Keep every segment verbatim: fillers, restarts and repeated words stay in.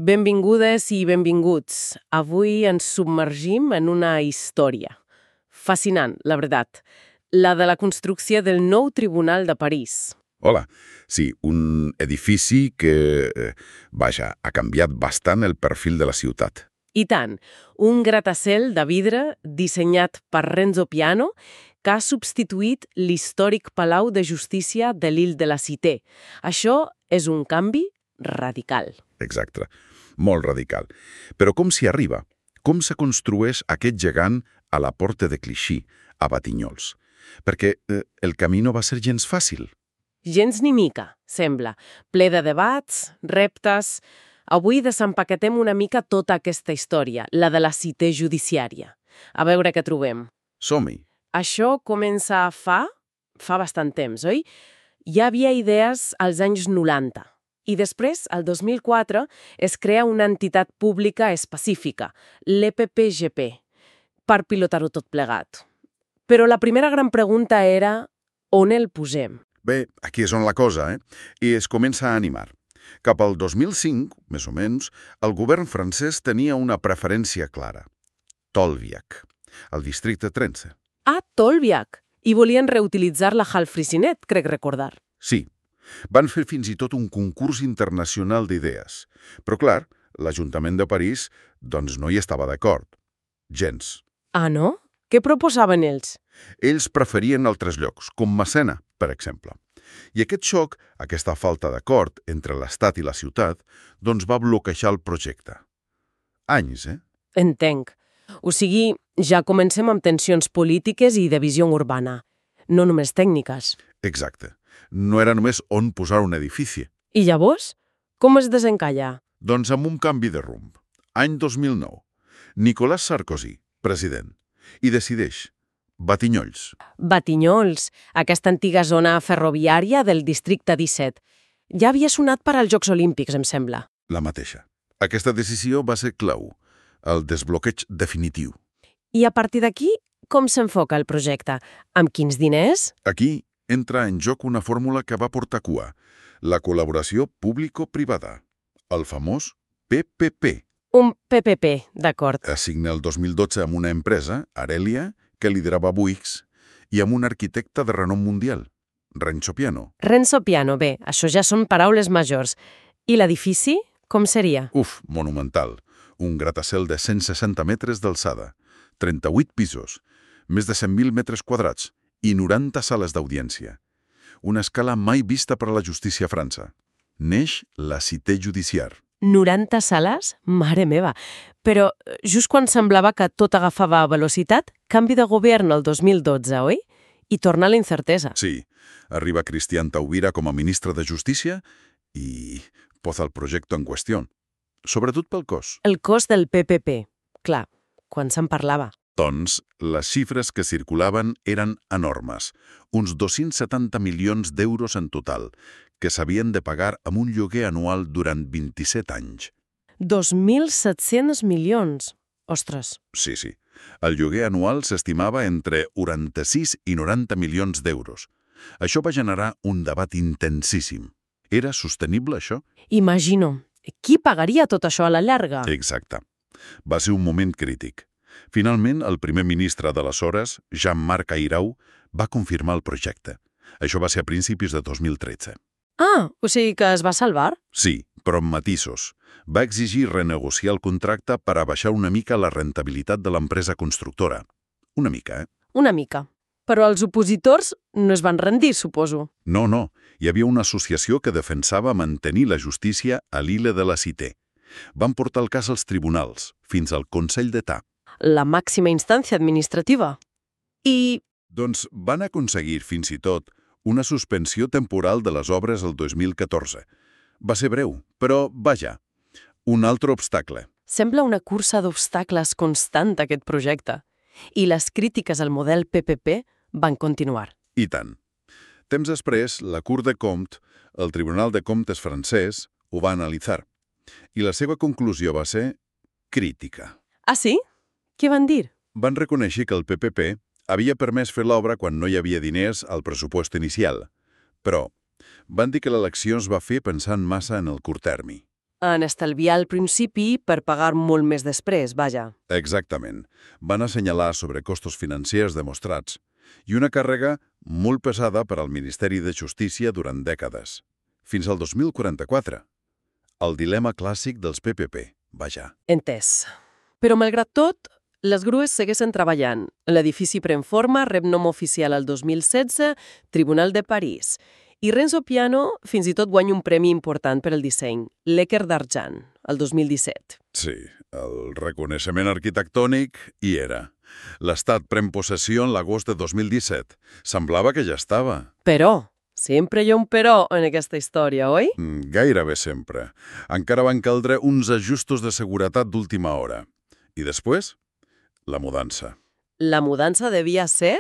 Benvingudes i benvinguts. Avui ens submergim en una història. Fascinant, la veritat. La de la construcció del nou Tribunal de París. Hola. Sí, un edifici que, eh, vaja, ha canviat bastant el perfil de la ciutat. I tant, un gratacel de vidre dissenyat per Renzo Piano que ha substituït l'històric Palau de Justícia de l'Île de la Cité. Això és un canvi radical. Exacte. Molt radical. Però com s'hi arriba? Com se construeix aquest gegant a la Porta de Clichy, a Batinyolls? Perquè eh, el camí no va ser gens fàcil. Gens ni mica, sembla. Ple de debats, reptes... Avui desempaquetem una mica tota aquesta història, la de la cité judiciària. A veure què trobem. Som-hi. Això comença fa... fa bastant temps, oi? Hi havia idees als anys noranta. I després, el dos mil quatre, es crea una entitat pública específica, l'E P P G P, per pilotar-ho tot plegat. Però la primera gran pregunta era on el posem? Bé, aquí és on la cosa, eh? I es comença a animar. Cap al dos mil cinc, més o menys, el govern francès tenia una preferència clara. Tolbiac, el districte tretze. Ah, Tolbiac! I volien reutilitzar la Hall Frisinet, crec recordar. Sí. Van fer fins i tot un concurs internacional d'idees. Però, clar, l'Ajuntament de París doncs no hi estava d'acord. Gens. Ah, no? Què proposaven ells? Ells preferien altres llocs, com Massena, per exemple. I aquest xoc, aquesta falta d'acord entre l'Estat i la ciutat, doncs va bloquejar el projecte. Anys, eh? Entenc. O sigui, ja comencem amb tensions polítiques i de visió urbana, no només tècniques. Exacte. No era només on posar un edifici. I llavors? Com es desencalla? Doncs amb un canvi de rumb. Any dos mil nou. Nicolas Sarkozy, president, i decideix Batinyolls. Batinyolls, aquesta antiga zona ferroviària del districte disset. Ja havia sonat per als Jocs Olímpics, em sembla. La mateixa. Aquesta decisió va ser clau, el desbloqueig definitiu. I a partir d'aquí, com s'enfoca el projecte? Amb quins diners? Aquí entra en joc una fórmula que va portar cua, la col·laboració público-privada, el famós P P P. Un P P P, d'acord. Es signa el dos mil dotze amb una empresa, Arelia, que liderava Bouygues, i amb un arquitecte de renom mundial, Renzo Piano. Renzo Piano, bé, això ja són paraules majors. I l'edifici, com seria? Uf, monumental. Un gratacel de cent seixanta metres d'alçada, trenta-vuit pisos, més de cent mil metres quadrats i noranta sales d'audiència. Una escala mai vista per a la justícia a França. Neix la cité judiciària. noranta sales? Mare meva! Però just quan semblava que tot agafava velocitat, canvi de govern el dos mil dotze, oi? I torna la incertesa. Sí. Arriba Cristian Taubira com a ministre de Justícia i posa el projecte en qüestió. Sobretot pel cost. El cost del P P P. Clar, quan se'n parlava. Doncs les xifres que circulaven eren enormes, uns dos-cents setanta milions d'euros en total, que s'havien de pagar amb un lloguer anual durant vint-i-set anys. dos mil set-cents milions. Ostres. Sí, sí. El lloguer anual s'estimava entre quaranta-sis i noranta milions d'euros. Això va generar un debat intensíssim. Era sostenible, això? Imagino. Qui pagaria tot això a la llarga? Exacte. Va ser un moment crític. Finalment, el primer ministre d'aleshores, Jean-Marc Ayrault, va confirmar el projecte. Això va ser a principis de dos mil tretze. Ah, o sigui que es va salvar? Sí, però amb matisos. Va exigir renegociar el contracte per abaixar una mica la rentabilitat de l'empresa constructora. Una mica, eh? Una mica. Però els opositors no es van rendir, suposo. No, no. Hi havia una associació que defensava mantenir la justícia a l'Île de la Cité. Van portar el cas als tribunals, fins al Consell d'État. La màxima instància administrativa. I... Doncs van aconseguir, fins i tot, una suspensió temporal de les obres el dos mil catorze. Va ser breu, però, vaja, un altre obstacle. Sembla una cursa d'obstacles constant, aquest projecte. I les crítiques al model P P P van continuar. I tant. Temps després, la Cour de Compte, el Tribunal de Comptes francès, ho va analitzar. I la seva conclusió va ser crítica. Ah, sí? Què van dir? Van reconèixer que el P P P havia permès fer l'obra quan no hi havia diners al pressupost inicial. Però van dir que l'elecció es va fer pensant massa en el curt termi. en estalviar al principi per pagar molt més després, vaja. Exactament. Van assenyalar sobrecostos financers demostrats i una càrrega molt pesada per al Ministeri de Justícia durant dècades. Fins al dos mil quaranta-quatre. El dilema clàssic dels P P P, vaja. Entès. Però, malgrat tot, les grues segueixen treballant. L'edifici pren forma, rep nom oficial el dos mil setze, Tribunal de París. I Renzo Piano fins i tot guanya un premi important per al disseny, l'Èquer d'Argent, el dos mil disset. Sí, el reconeixement arquitectònic hi era. L'Estat pren possessió en l'agost de dos mil disset. Semblava que ja estava. Però, sempre hi ha un però en aquesta història, oi? Mm, Gairebé sempre. Encara van caldre uns ajustos de seguretat d'última hora. I després, la mudança. La mudança devia ser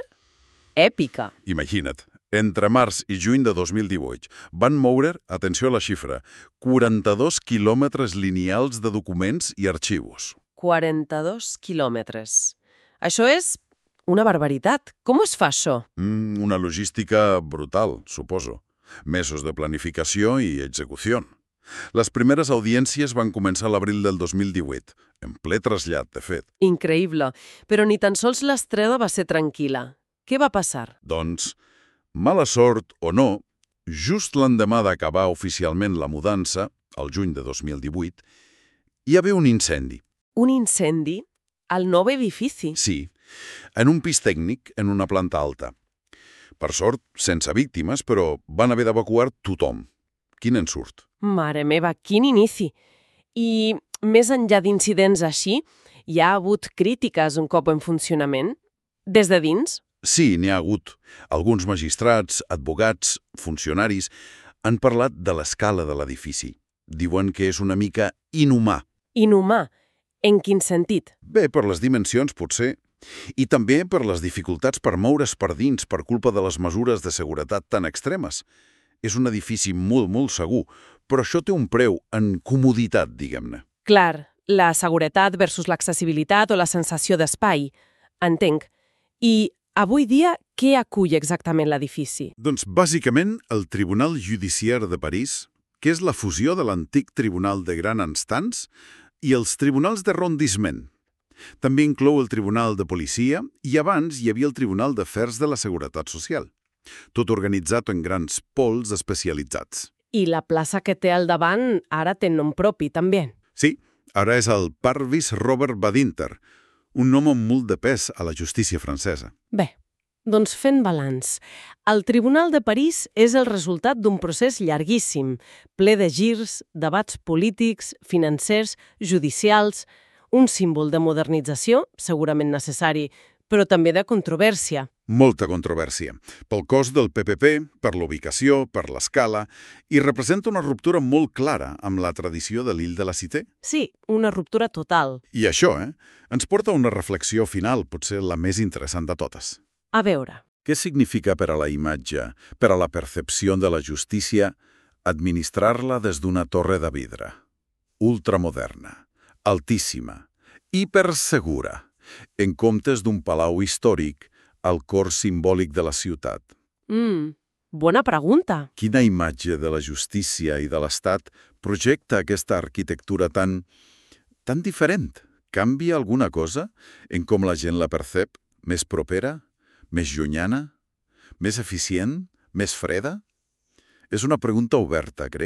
èpica. Imagina't, entre març i juny de dos mil divuit van moure, atenció a la xifra, quaranta-dos quilòmetres lineals de documents i arxivos. quaranta-dos quilòmetres. Això és una barbaritat. Com es fa això? Mm, una logística brutal, suposo. Mesos de planificació i execució. Les primeres audiències van començar a l'abril del dos mil divuit, en ple trasllat, de fet. Increïble. Però ni tan sols l'estrena va ser tranquil·la. Què va passar? Doncs, mala sort o no, just l'endemà d'acabar oficialment la mudança, al juny de dos mil divuit, hi havia un incendi. Un incendi al nou edifici. Sí, en un pis tècnic en una planta alta. Per sort, sense víctimes, però van haver d'evacuar tothom. Quin ensurt. Mare meva, quin inici! I més enllà d'incidents així, hi ha hagut crítiques un cop en funcionament? Des de dins? Sí, n'hi ha hagut. Alguns magistrats, advocats, funcionaris han parlat de l'escala de l'edifici. Diuen que és una mica inhumà. Inhumà? En quin sentit? Bé, per les dimensions, potser. I també per les dificultats per moure's per dins per culpa de les mesures de seguretat tan extremes. És un edifici molt, molt segur, però això té un preu en comoditat, diguem-ne. Clar, la seguretat versus l'accessibilitat o la sensació d'espai. Entenc. I avui dia, què acull exactament l'edifici? Doncs, bàsicament, el Tribunal Judiciaire de París, que és la fusió de l'antic Tribunal de Gran Instance i els Tribunals d'Arrondissement. També inclou el Tribunal de Policia i abans hi havia el Tribunal d'Afers de la Seguretat Social. Tot organitzat en grans pols especialitzats. I la plaça que té al davant ara té nom propi, també. Sí, ara és el Parvis Robert Badinter, un nom amb molt de pes a la justícia francesa. Bé, doncs fent balanç. El Tribunal de París és el resultat d'un procés llarguíssim, ple de girs, debats polítics, financers, judicials, un símbol de modernització, segurament necessari, però també de controvèrsia. Molta controvèrsia. Pel cost del P P P, per l'ubicació, per l'escala, i representa una ruptura molt clara amb la tradició de l'Île de la Cité. Sí, una ruptura total. I això, eh, ens porta a una reflexió final, potser la més interessant de totes. A veure. Què significa per a la imatge, per a la percepció de la justícia, administrar-la des d'una torre de vidre? Ultramoderna, altíssima, hipersegura, en comptes d'un palau històric al cor simbòlic de la ciutat. Mm, bona pregunta. Quina imatge de la justícia i de l'Estat projecta aquesta arquitectura tan, tan diferent? Canvia alguna cosa en com la gent la percep? Més propera? Més llunyana? Més eficient? Més freda? És una pregunta oberta, crec.